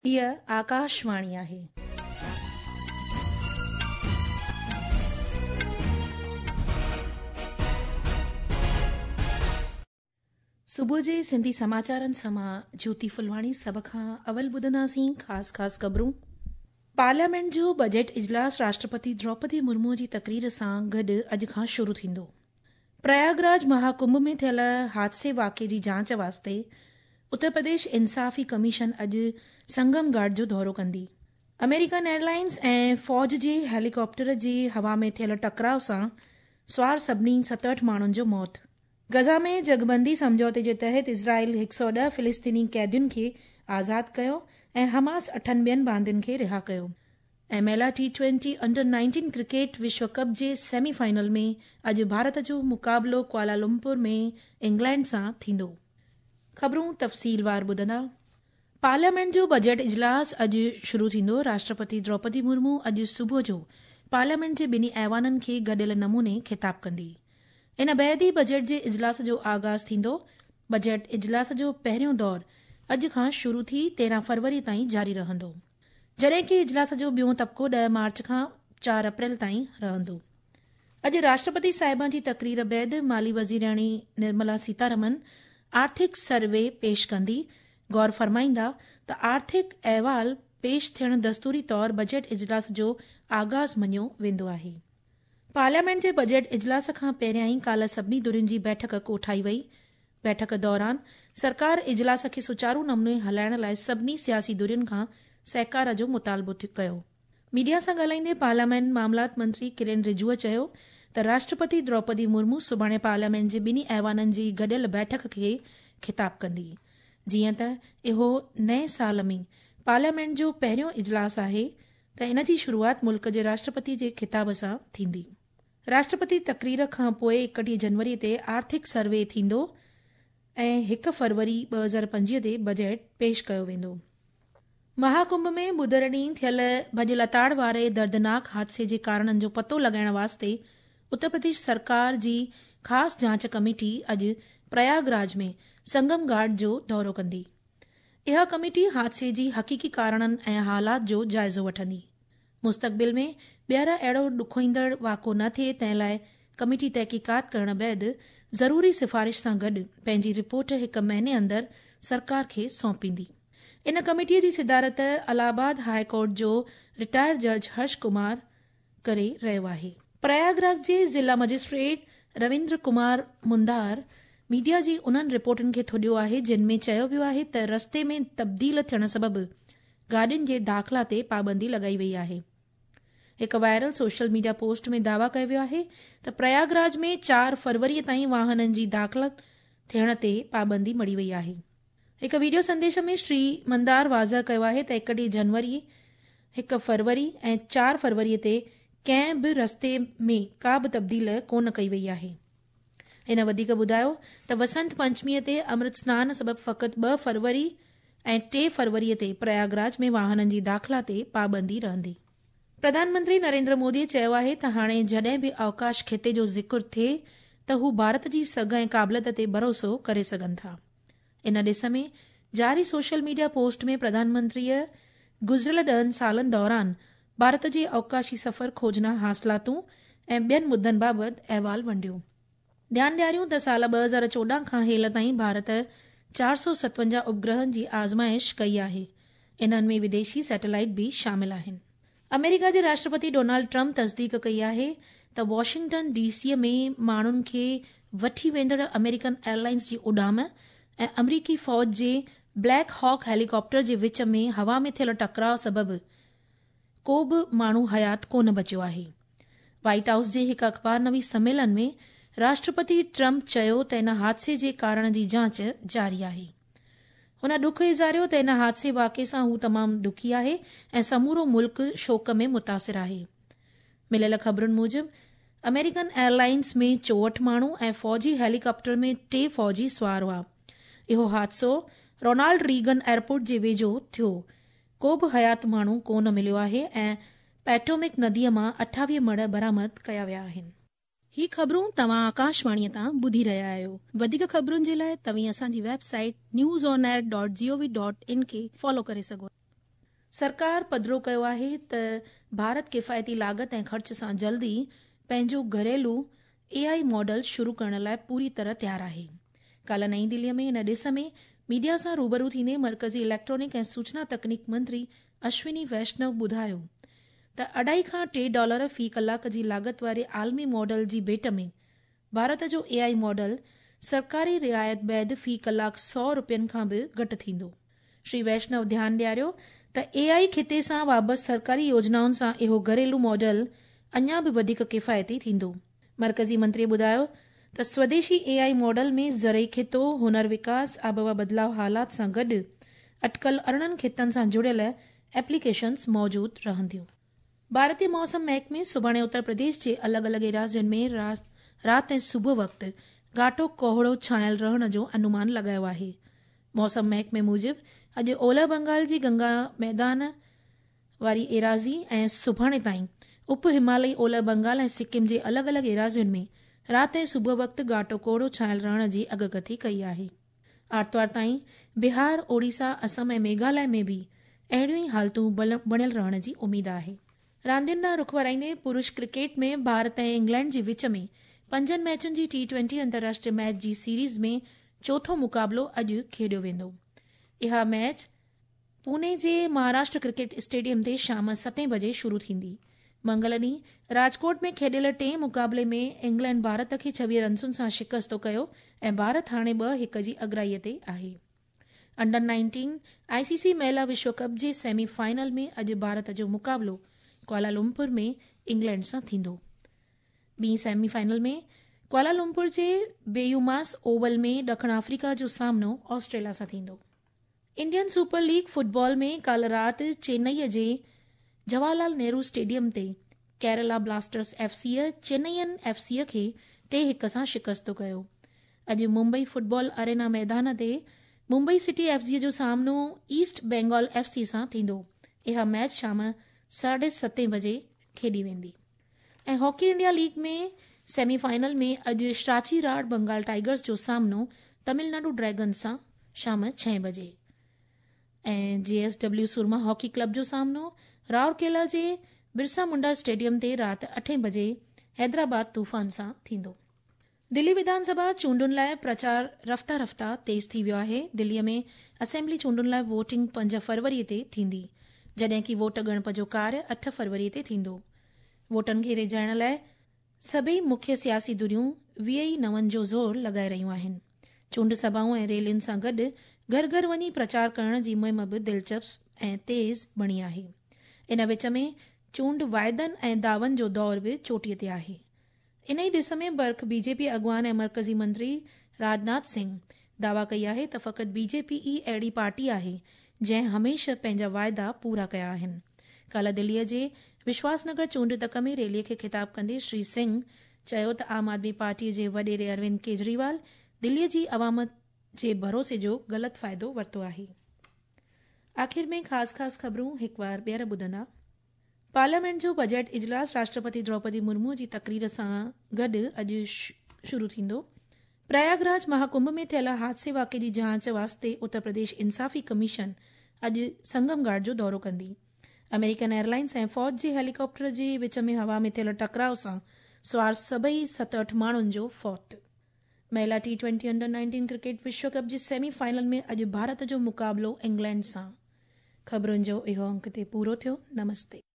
هيء آڪاشواڻي آهي. صبح جي سنڌي سماچارن سان مان جيوتي ڦلواڻي سڀ کان اول ٻڌنداسين خاص خاص خبرون. پارليامينٽ جو بجيٽ اجلاس راشٽرپتي دروپدي مرمو جي تقرير سان گڏ اڄ کان شروع ٿيندو. پرياگراج مها ڪنڀ ۾ ٿيل حادثي واقعي جي جاچ واسطي اتر پرديش انصافي ڪميشن اڄ سنگم گهاٽ جو دورو ڪندي. آمريڪن ايئرلائنز ۽ فوج جي هيليڪاپٽر جي هوا ۾ ٿيل ٽڪراء سان سوار سڀني 67 ماڻهن جو موت. غزه ۾ جنگبندي سمجهوتي جي تحت اسرائيل 110 فلسطيني قيدين کي آزاد ڪيو ۽ حماس اٺن ٻين باندين کي رها ڪيو. ۽ مهلا ٽي ٽوئنٽي انڊر 19 ڪرڪيٽ وشو ڪپ جي سيمي فائنل ۾ اڄ ڀارت جو مقابلو ڪوالالمپور ۾ انگلينڊ سان ٿيندو. خبرون تفصيلوار ٻڌندا. پارليامينٽ جو بجيٽ اجلاس اڄ شروع ٿيندو. راشٽرپتي دروپدي مرمو اڄ صبح جو پارليامينٽ جي ٻنهي ايوانن کي گڏيل نموني خطاب ڪندي. ان بعد ئي بجيٽ جي اجلاس جو آغاز ٿيندو. بجيٽ اجلاس جو پهريون دور اڄ کان شروع ٿي 13 فروري تائين جاري رهندو. جڏهن ڪي اجلاس جو ٻيون طبقو 10 مارچ کان 4 اپريل تائين رهندو. اڄ راشٽرپتي صاحبه جي تقرير بعد مالي وزيرياڻي نرملا سيتارمن آرٿڪ سروي پيش ڪندي. غور فرمائيندا ته آرٿڪ احوال پيش ٿيڻ دستوري طور بجيٽ اجلاس جو آغاز مڃيو ويندو آهي. پارليامينٽ جي بجيٽ اجلاس کان پهريائين ڪالهه سڀني ڌرين جي بيٺڪ ڪوٺائي وئي. بيٺڪ دوران سرڪار اجلاس کي سچارو نموني هلائڻ لاء سڀني سياسي ڌرين کان سهڪار جو مطالبو ڪيو. ميڊيا سان ڳالهائيندي پارلياماني معاملات منتري ڪرين رجوء چيو ته راشٽرپتي دروپدي مرمو سڀاڻي پارليامينٽ جي ٻنهي ايوانن جي گڏيل بيٺڪ کي خطاب ڪندي. جيئن ته اهو نئين سال ۾ پارليامينٽ جو پهريون اجلاس آهي ته ان جي شروعات ملڪ جي راشٽرپتي جي خطاب سان ٿيندي. راشٽرپتي تقرير کان پوء 31 جنوري تي آرٿڪ سروي ٿيندو ۽ 1 فروري 2025 تي بجيٽ پيش ڪيو ويندو. مها ڪنڀ ۾ ٻڌر ڏينهن ٿيل ڀڄ لتاڙ واري دردناڪ حادثي جي ڪارڻن جو پتو لڳائڻ واسطي اتر پرديش سرڪار جي خاص جاچ ڪميٽي اڄ پرياگراج ۾ سنگم گهاٽ جو دورو ڪندي. اها ڪميٽي حادثي جي حقيقي ڪارڻن ۽ حالات جو جائزو وٺندي. مستقبل ۾ ٻيهر اهڙو ڏکوئيندڙ واقعو نه ٿئي تنهن لاء ڪميٽي تحقيقات ڪرڻ بعد ضروري سفارش سان گڏ پنهنجي رپورٽ هڪ مهيني اندر سرڪار کي سونپيندي. ان ڪميٽي جي صدارت الهه آباد هاء ڪورٽ جو رٽائر جج هرش ڪمار ڪري رهيو آهي. پرياگراج جي ضلع مئجسٽريٽ رويندر ڪمار مندار ميڊيا جي انهن رپورٽن کي ٿڏيو آهي جن ۾ چيو ويو آهي ته رستي ۾ تبديل ٿيڻ سبب گاڏين جي داخلا تي پابندي لڳائي وئي آهي. هڪ وائرل سوشل ميڊيا پوسٽ ۾ دعويٰ ڪيو ويو آهي ته پرياگراج ۾ 4 فروري تائين واهنن جي داخل ٿيڻ تي پابندي مڙهي وئي آهي. هڪ وڊيو سنديش ۾ شري مندار واضح ڪيو آهي ته 31 جنوري، 1 فروري ۽ 4 فروري تي ڪنهن به رستي ۾ ڪا به تبديل ڪونه ڪئي وئي آهي. هن وڌيڪ ٻڌايو ته وسنت پنچميء تي امرت سنان سبب فقط 2 فروري ۽ 3 فروري تي پرياگراج ۾ واهنن جي داخلا تي پابندي رهندي. پرڌان منتري نريندر مودي چيو آهي ته هاڻي جڏهن به اوڪاش خطي جو ذڪر ٿئي ته هو ڀارت جي سگهه ۽ قابليت تي ڀروسو ڪري سگهن ٿا. ان ڏس ۾ جاري سوشل ميڊيا پوسٽ ۾ پرڌان منتريء گذريل 10 سالن دوران ڀارت جي اوڪاشي سفر کوجنا حاصلاتون ۽ ٻين مدن بابت احوال ونڊيو. ڌيان ڏياريون ته سال 2014 کان هيل تائين ڀارت 457 اپگرهن جي آزمائش ڪئي آهي. انهن ۾ وديشي سيٽلائيٽ به شامل آهن. آمريڪا جي راشٽرپتي ڊونالڊ ٽرمپ تصديق ڪئي آهي ته واشنگٽن ڊي سي ۾ ماڻهن کي وٺي ويندڙ آمريڪن ايئرلائنز جي اڏام ۽ آمريڪي فوج جي بليڪ هاڪ هيليڪاپٽر جي وچ ۾ هوا ۾ ٿيل ٽڪراء سبب ڪو به ماڻهو حيات ڪونه بچيو آهي. وائيٽ هائوس جي هڪ اخبار نويس سميلن ۾ راشٽرپتي ٽرمپ چيو ته ان حادثي جي ڪارڻ جي جاچ جاري آهي. هن ڏک اظهاريو ته ان حادثي واقعي سان هو تمام دکي آهي ۽ سمورو ملڪ شوڪ ۾ متاثر آهي. مليل خبرن موجب آمريڪن ايئرلائنز ۾ 64 ماڻهو ۽ فوجي هيليڪاپٽر ۾ 3 فوجي سوار هئا. اهو حادثو رونالڊ ريگن ايئرپورٽ جي ويجهو ٿيو. ڪو به حيات ماڻهو ڪو نه مليو آهي ۽ پيٽومڪ نديء مان 28 مڙهه برآمد ڪيا ويا آهن. هي خبرون توهان آڪاشواڻيء تان ٻڌي رهيا آهيو. وڌيڪ خبرن جي لاء توهين اسان جي website news on air dot G O V dot in کي فالو ڪري سگهو. سرڪار پڌرو ڪيو آهي ته ڀارت ڪفايتي لاڳت ۽ خرچ سان جلد ئي پنهنجو گهريلو اي I model شروع ڪرڻ لاء پوري طرح تيار آهي. ڪالهه نئين دلي ۾ ان ڏس ۾ ميڊيا سان روبرو ٿيندي مرڪزي اليڪٽرانڪ ۽ سوچنا تڪنيڪ منتري اشوني ويشنو ٻڌايو ته اڍائي کان ٽي ڊالر في ڪلاڪ جي لاڳت واري عالمي ماڊل جي ڀيٽ ۾ ڀارت جو اي I model سرڪاري رعايت بعد في ڪلاڪ سئو رپين کان به گهٽ ٿيندو. شري ويشنو ڌيان ڏياريو ته اي آء خطي سان وابسته سرڪاري يوجنائن سان اهو گهريلو ماڊل اڃا به وڌيڪ ڪفايتي ٿيندو. مرڪزي منتري ٻڌايو ته سوديشي اي I model ۾ زرعي خطو، هنر وڪاس، آبهوا بدلاء حالات سان گڏ اٽڪل 18 خطن سان جڙيل ايپليڪيشنز موجود رهنديون. ڀارتي موسم محڪمي سڀاڻي اتر پرديش جي الڳ الڳ ايراضين ۾ رات ۽ صبح وقت گهاٽو ڪوهيڙو ڇانيل رهڻ جو انومان لڳايو آهي. موسم محڪمي موجب اڄ اولهه بنگال جي گنگا ميدان واري ايراضي ۽ سڀاڻي تائين اپ همالئي اولهه بنگال ۽ سڪم جي الڳ الڳ ايراضين ۾ رات ۽ صبح وقت گهاٽو ڪوهيڙو ڇانيل رهڻ جي اڳڪٿي ڪئي آهي. آرتوار تائين بهار، اوڙيسا، اسم ۽ ميگهاليه ۾ به اهڙيون ئي حالتون بڻيل رهڻ جي اميد آهي. راندين ڏانهن رخ ورائيندي پرش ڪرڪيٽ ۾ ڀارت ۽ انگلينڊ جي وچ ۾ پنجن ميچن جي ٽي ٽوئنٽي انترراشٽري ميچ جي سيريز ۾ چوٿون مقابلو اڄ کيڏيو ويندو. اها ميچ پوني جي مهاراشٽر ڪرڪيٽ اسٽيڊيم تي شام ستين بجي شروع ٿيندي. منگل ڏينهن راجڪوٽ ۾ کيڏيل ٽئين مقابلي ۾ انگلينڊ ڀارت کي 26 رنسن سان شڪست ڪيو ۽ ڀارت هاڻي ٻه هڪ جي اڳرائي تي آهي. انڊر 19 آء سي سي مهلا وشو ڪپ جي سيمي فائنل ۾ اڄ ڀارت جو مقابلو ڪوالالمپور ۾ انگلينڊ سان ٿيندو. ٻي سيمي فائنل ۾ ڪوالالمپور جي بيوماس اوول ۾ ڏکڻ آفريڪا جو سامنو آسٽريليا سان ٿيندو. انڊين سپر ليگ فٽبال ۾ ڪالهه رات چينئي جي جواهر لال نهرو اسٽيڊيم تي Kerala بلاسٽرز F C چينئين F C کي ٽي هڪ سان شڪست ڪيو. اڄ ممبئي فٽبال ارينا ميدان تي ممبئي سٽي ايف سيء جو سامنو ايسٽ بينگال ايف سي سان ٿيندو. اها ميچ شام ساڍي ستين بجي کيڏي ويندي. ۽ Hockey India league ۾ semi final ۾ اڄ شراچي راڙ بنگال ٽائيگرز جو سامنو تمل ناڊو ڊريگنز سان شام ڇهين بجي ۽ جي ايس ڊبليو سورما هاڪي ڪلب جو سامنو راورڪيلا جي برسا منڊا اسٽيڊيم تي رات اٺين بجي حيدرآباد طوفان سان ٿيندو. دلي وڌان سڀا چونڊن لاء پرچار رفته رفته تيز ٿي ويو آهي، دلي ۾ اسيمبلي چونڊن لاء ووٽنگ پنج فروري تي ٿيندي، جڏهن ڪي ووٽ ڳڻپ جو ڪاريه اٺ فروري تي ٿيندو. ووٽن کي ريجهائڻ لاء سڀئي مکيه سياسي ڌريون 20 ئي نون جو زور لڳائي رهيون آهن. چونڊ سڀائون ۽ ريلين سان گڏ گهر گهر وڃي پرچار ڪرڻ جي مهم به دلچسپ ۽ تيز بڻي آهي. ان وچ ۾ چونڊ واعدن ۽ دعون جو دور به چوٽي تي آهي. انهي ڏس ۾ برک بي جي پي اڳواڻ ۽ مرڪزي منتري راجناٿ سنگهه دعويٰ ڪئي آهي ته فقط بي جي پي ئي اهڙي پارٽي آهي جنهن هميشه پنهنجا واعدا پورا ڪيا آهن. ڪالهه دليء جي وشواس نگر چونڊ تڪ ۾ ريلي کي خطاب ڪندي شري سنگهه چيو ته عام آدمي پارٽي جي وڏيري اروند ڪيجريوال دليء جي عوام جي ڀروسي جو غلط فائدو ورتو آهي. آخر ۾ خاص خاص خبرون هڪوار ٻيهر ٻڌندا. پارليامينٽ جو بجيٽ اجلاس راشٽرپتي دروپدي مرمو جي تقرير سان گڏ اڄ شروع ٿيندو. پرياگ راج مهاڪنڀ ۾ ٿيل حادثي واقعي جي جاچ واسطي اتر پرديش انصافي ڪميشن اڄ سنگم گهاٽ جو دورو ڪندي. آمريڪن ايئرلائنز ۽ فوج جي هيليڪاپٽر جي وچ ۾ هوا ۾ ٿيل ٽڪراء سان سوار سڀئي ست اٺ ماڻهن جو فوت. مهلا ٽي ٽوئنٽي انڊر 19 ڪرڪيٽ وشو ڪپ جي سيمي فائنل ۾ اڄ ڀارت جو مقابلو انگلينڊ سان. خبرن جو اهو انڪ هتي پورو ٿيو. نمستي.